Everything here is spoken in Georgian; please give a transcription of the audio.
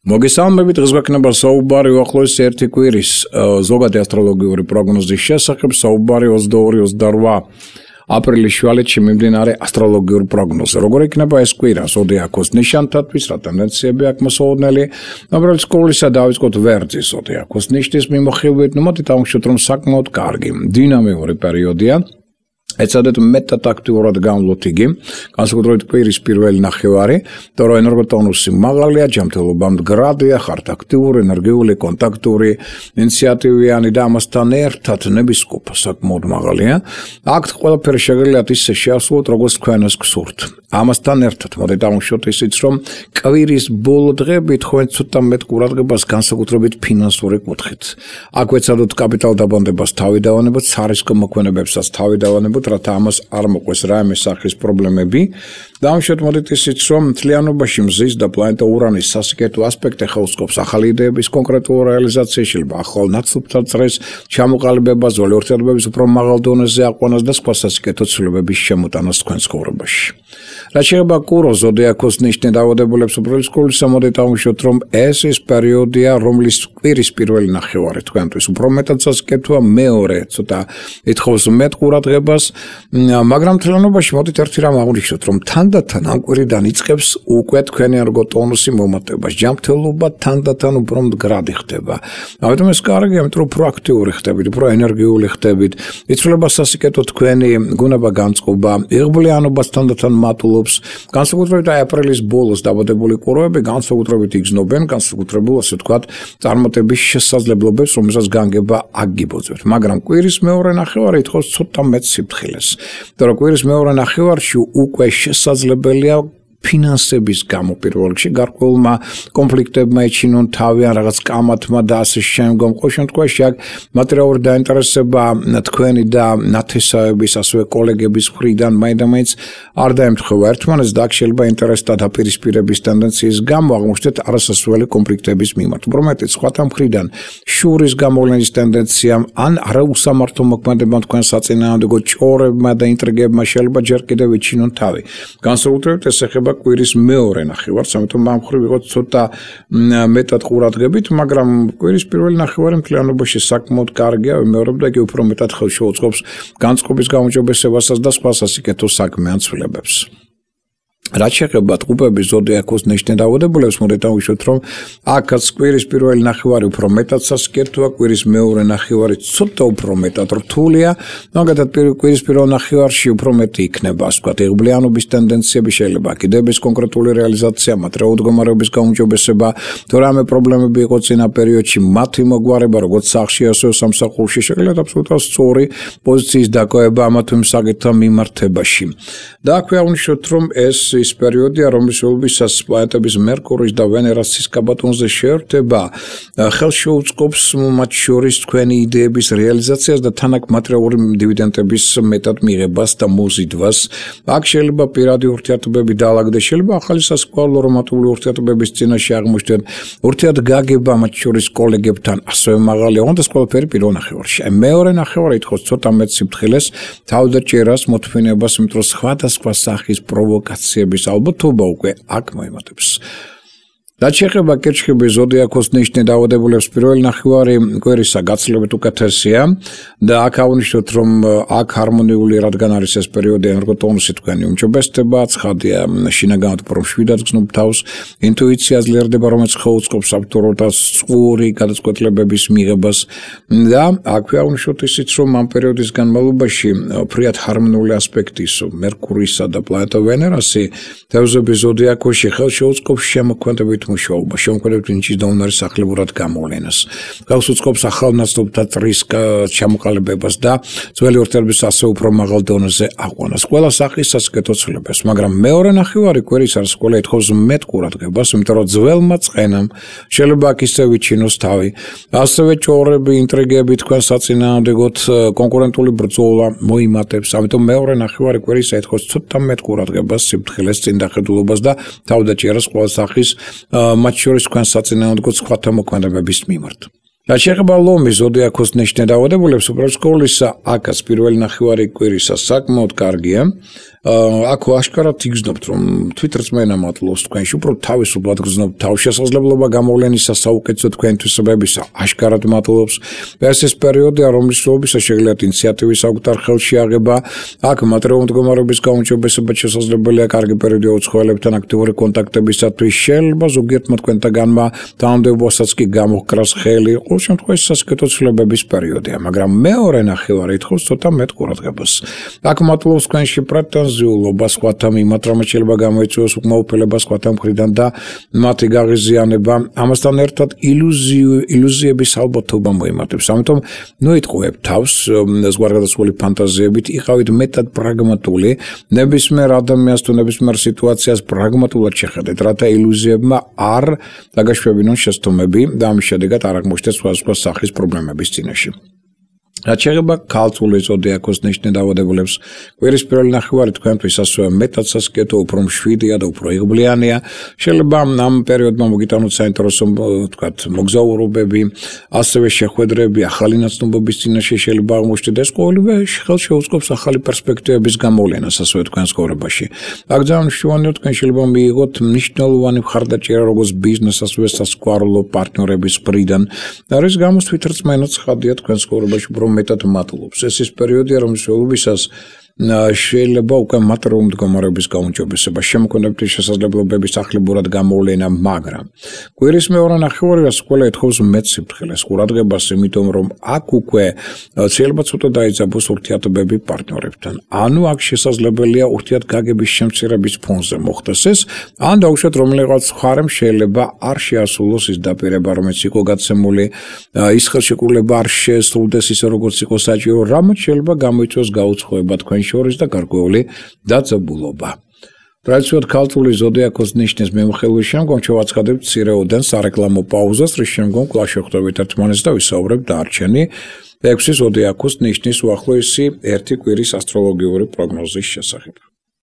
მოგესალმებით, დღეს გვექნება საუბარი უახლოესი ერთი კვირის ზოგადი ასტროლოგიური პროგნოზის შესახებ, საუბარი 22-28 აპრილის შუალედში მიმდინარე ასტროლოგიურ პროგნოზზე. როგორ იქნება ეს კვირა ზოდიაქოს ნიშანთათვის, რა ტენდენციები აქვს მოსაოდნელი, უბრალოდ სკოლისა დავიწყოთ ვერძის ზოდიაქოს ნიშნის მიმოხილვით, მოდით დავუშვათ, რომ საკმაოდ კარგი, დინამიური პერიოდია. ეცადეთ მეტად აქტიურად გამვლოთ იგი, განსაკუთრებით კვირის პირველი ნახევარი, იმიტომ რომ ენერგოტონუსი მაღალია, ჯანმრთელობა მდგრადია, ხართ აქტიური, ენერგიული, კონტაქტური, ინიციატივიანი და ამასთან ერთად ნებისყოფა საკმაოდ მაღალია. აქ ყველაფერი შეგიძლიათ ისე შეასრულოთ, როგორც თქვენს გსურთ. ამასთან ერთად მოდით დავუშვათ ისიც, რომ კვირის ბოლო დღეებით თქვენ ცოტა მეტ ყურადღებას განსაკუთრებით ფინანსური კუთხით. აქ ვეცადოთ კაპიტალ დაბანდებას თავი დავანებოთ, სარისკო მოქმედებებსაც თავი დავანებოთ, რათა ამას არ მოყვეს რაიმე სახის პრობლემები. დავუშვათ მოდით ისიც, რომ მთლიანობაში მზის და პლანეტა ურანის სასიკეთო ასპექტი ხელსკობს ახალი იდეების კონკრეტულ რეალიზაციაში, შეიძლება ახალ ნაცნობთა წრეს, ჩამოყალიბებას, ზოლი ურთიერთობების უფრო მაღალ დონეზე აყვანას და სხვა სასიკეთო ცვლილებების შემოტანას თქვენს ცხოვრებაში. რაც შეეხება კუროს ზოდიაქოს ნიშნით დაავადებულებს უბრალოდ სკოლისა, მოდით დავუშვათ, რომ ეს ის პერიოდია, რომლის კვირის პირველი ნახევარი თქვენთვის უფრო მეტად სასიკეთოა, მეორე ცოტა ითხოვს მეტ ყურადღებას, მაგრამ მთლიანობაში მოდით ერთი რამ აღვნიშნოთ, რომ თანდათან ამ კვირიდან იწყებს უკვე თქვენი ენერგოტონუსი მომატებას, ჯანმრთელობა თანდათან უფრო მდგრადი ხდება. ამიტომ ეს კარგია, იმიტომ რომ უფრო აქტიური ხდებით, უფრო ენერგიული ხდებით, იცვლება სასიკეთო თქვენი გუნება განწყობა, იღბლიანობას თანდათან მატულობს. განსაკუთრებით აპრილის ბოლოს დაბადებული ყურები განსაკუთრებით იგრძნობენ, განსაკუთრებულ ასე ვთქვათ, წარმატების შესაძლებლობებს, რომელსაც განგება აგიბოძებთ. მაგრამ კვირის მეორე ნახევარი ითხოვს ცოტა მეტ სიფრთხილეს. იმიტომ რომ კვირის მეორე ნახევარში უკვე შესაძლებელია ფინანსების გამო პირველ რიგში გარკვეულმა კონფლიქტებმა ეჩინონ თავი ან რაღაც კამათმა და ასე შემდგომ. ყოველ შემთხვევაში აქ მატერიალური დაინტერესება თქვენი და ნათესავების, ასევე კოლეგების მხრიდან მაინდამაინც არ დაემთხვევა ერთმანეთს და აქ შეიძლება ინტერესთა დაპირისპირების ტენდენციის გამო აღმოჩნდეთ არასასურველი კონფლიქტების მიმართ. უბრალოდ სხვათა მხრიდან შურის გამოვლენის ტენდენციამ ან არაუსამართლო მოქმედებამ თქვენ საწინააღმდეგო ჭორებმა და ინტრიგებმა შეიძლება ჯერ კიდევ ეჩინონ თავი. განსაკუთრებით ეს ეხება კვირის მეორე ნახევარს, ამიტომ ამ მხრივ ვიყოთ ცოტა მეტად ყურადღებით, მაგრამ კვირის პირველი ნახევარი მთლიანობაში საკმაოდ კარგია, ვიმეორებ და იგი უფრო მეტად ხელს შეუწყობს განწყობის გაუმჯობესებასაც და სხვა სასიკეთო საქმიან ცვლილებებს. რაც შეეხება ტყუპების ზოდიაქოს ნიშნით დაავადებულებს, მოდით დავუშვათ, რომ აქაც კვირის პირველი ნახევარი უფრო მეტად სასიკეთოა, კვირის მეორე ნახევარი ცოტა უფრო მეტად რთულია, მაგალითად კვირის პირველ ნახევარში უფრო მეტი იქნება, ასე ვთქვათ, იღბლიანობის ტენდენციები, შეიძლება კიდების კონკრეტული რეალიზაცია, მატერიალური მდგომარეობის გაუმჯობესება, თუ რამე პრობლემები იყო წინა პერიოდში, მათი მოგვარება, როგორც სახლში, ასევე სამსახურში, შეგიძლიათ აბსოლუტურად სწორი პოზიციის დაკავება ამა თუ იმ საკითხთან მიმართებაში. და აქვე აღვნიშნოთ, რომ ეს ის პერიოდია, რომელსაც პლანეტების მერკურის და ვენერას სისკაბატონზე შეერთება ხელს შეუწყობს მათ შორის თქვენი იდეების რეალიზაციას და თან აქ მატერიალური დივიდენდების მეტად მიღებას და მოზიდვას. აქ შეიძლება პირადი ურთიერთობები დაალაგდეს, შეიძლება ახალი სასკოლო რომანტიკული ურთიერთობების წინაშე აღმოჩნდეთ, ურთიერთგაგება მათ შორის კოლეგებთან ასევე მაღალია, თუნდაც ყველაფერი პირველ ნახევარში. მეორე ნახევარი ითხოვს ცოტა მეტ სიფრთხილეს, თავდაჭერას, მოთმინებას, იმიტომ რომ სხვადასხვა სახის პროვოკაციები ალბათობა უკვე აქ მოემატებს. რაც შეეხება კერჩხების ზოდიაქოს ნიშნით დაავადებულებს, პირველი ნახევარი კვირისა გაცილებით უკეთესია და აქ აღვნიშნოთ, რომ აქ ჰარმონიული, რადგან არის ეს პერიოდი ენერგოტონუსი თქვენი უმჯობესდება, ცხადია შინაგანად უფრო მშვიდად გრძნობ თავს, ინტუიცია ძლიერდება, რომელიც ხელუწყობს აბსოლუტურად სწორი გადაწყვეტილებების მიღებას და აქვე აღვნიშნოთ ისიც, რომ ამ პერიოდის განმავლობაში ფრიად ჰარმონიული ასპექტის მერკურისა და პლანეტა ვენერასი თევზების ზოდიაქოში ხელს შეუწყობს შემოქმედებით მუშაობა, შემოქმედებით ნიჭის და უნარის სახლებურად გამოვლენას. ხელს უწყობს ახალ ნაცნობთა წრის ჩამოყალიბებას და ძველი ურთიერთობის ასე უფრო მაღალ დონეზე აყვანას. ყველა სახის სასიკეთო ცვლილებებს, მაგრამ მეორე ნახევარი კვირის არის ყველა ითხოვს მეტ ყურადღებას, იმიტომ რომ ძველმა წყენამ შეიძლება აქ ისევ იჩინოს თავი. ასევე ჭორები, ინტრიგები თქვენ საწინააღმდეგოდ კონკურენტული ბრძოლა მოიმატებს. ამიტომ მეორე ნახევარი კვირის ითხოვს ცოტა მეტ ყურადღებას, სიფრთხილეს, წინდახედულობას და თავდაჭერას ყველა სახის მათ შორის თქვენ საწინააღმდეგო სხვათა მოქმედებების მიმართ. რაც შეეხება ლომის ზოდიაქოს ნიშნე დაავადებულებს, უბრალოდ სკოლისა აქაც პირველი ნახევარი კვირისა საკმაოდ კარგია. აქ აშკარად იგრძნობთ, რომ თვითრწმენა მატლობს თქვენში, უფრო თავისუფლად გრძნობთ თავშესაძლებლობა გამოვლენისა საუკეთესო თქვენთვისებებისა, აშკარად მატლობს. ეს პერიოდია, რომლის შედეგად შეგიძლიათ ინიციატივის საკუთარ ხელში აღება. აქ მატერიალური მდგომარეობის გაუმჯობესება შესაძლებელია კარგი პერიოდი უცხოელებთან აქტიური კონტაქტებისათვის. შეიძლება ზოგიერთმა თქვენთაგანმა თანამდებობასაც კი გამოჰკრას ხელი. ყოველ შემთხვევაში სასიკეთო ცვლილებების პერიოდია, მაგრამ მეორე ნახევარი ითხოვს ცოტა მეტ ყურადღებას. აქ მატლობს თქვენში პრეტენზიულობა სხვათა მიმართ, რომელიც შეიძლება გამოიწვიოს უკმაყოფილება სხვათა მხრიდან და მათი გაღიზიანება. ამასთან ერთად ილუზიების ალბათობა მოიმართებს. ამიტომ ნოიტყუებთ თავს ზღვარგადასული ფანტაზიებით, იყავით მეტად პრაგმატული, ნებისმიერ ადამიანს თუ ნებისმიერ სიტუაციას პრაგმატულად შეხედეთ, რათა ილუზიებმა არ დაგაშვებინონ შეცდომები და ამის შედეგად არ აღმოჩნდეთ სხვადასხვა სახის პრობლემების წინაშე. რაც შეეხება ქალწული ზოდიაქოს ნიშნე დაავადებულებს, კვირის პირველი ნახევარი თქვენთვის ასევე მეტად სასიკეთო, უფრო მშვიდია და უფრო იღბლიანია. შეიძლება ამ პერიოდმა მოგიტანოთ საინტერესო მოგზაურობები, ასევე შეხვედრები, ახალი ნაცნობობის წინაშე შეიძლება აღმოჩნდეთ. ეს ყოველივე ხელშეუწყობს ახალი პერსპექტივების გამოვლენას ასევე თქვენს ცხოვრებაში. აქ ძალიან მნიშვნელოვანია, თქვენ შეიძლება მიიღოთ მნიშვნელოვანი მხარდაჭერა როგორც ბიზნეს, ასევე სასკვალო პარტნიორების მხრიდან. რის გამოც თვითრწმენაც ხადია თქვენს ცხოვრებაში მეტად მატლობს. ეს ის პერიოდია, რომლის შეულებისას შეიძლება უკვე მატერიალური მდგომარეობის გაუმჯობესება, შემოქმედებითი შესაძლებლობების ახლებურად გამოვლენა, მაგრამ კვირის მეორე ნახევარი ყველა ეთხოვს მეტ სიფრთხილეს, ყურადღებას, იმიტომ რომ აქ უკვე შეიძლება ცოტა დაიძაბოს ურთიერთობები პარტნიორებთან. ანუ აქ შესაძლებელია ურთიერთგაგების შემცირების ფონზე მოხდეს ეს, ან დაუშვათ რომელიღაც მხარემ შეიძლება არ შეასრულოს ის დაპირება, რომელიც იყო გაცემული, ის ხელშეკრულება არ შეესრულდეს ისე როგორც იყო საჭირო, რამაც შეიძლება გამოიწვიოს გაუცხოება თქვენ შორის და გარკვეული დაძაბულობა. ტრადიციულად ქალწული ზოდიაქოს ნიშნის მიმოხილვის შემდგომ შევაცხადებთ მცირეოდენ სარეკლამო პაუზას, რის შემდგომ კვლავ შევხვდებით ერთმანეთს და ვისაუბრებთ დარჩენი 6 ზოდიაქოს ნიშნის უახლოესი 1 კვირის ასტროლოგიური პროგნოზის შესახებ.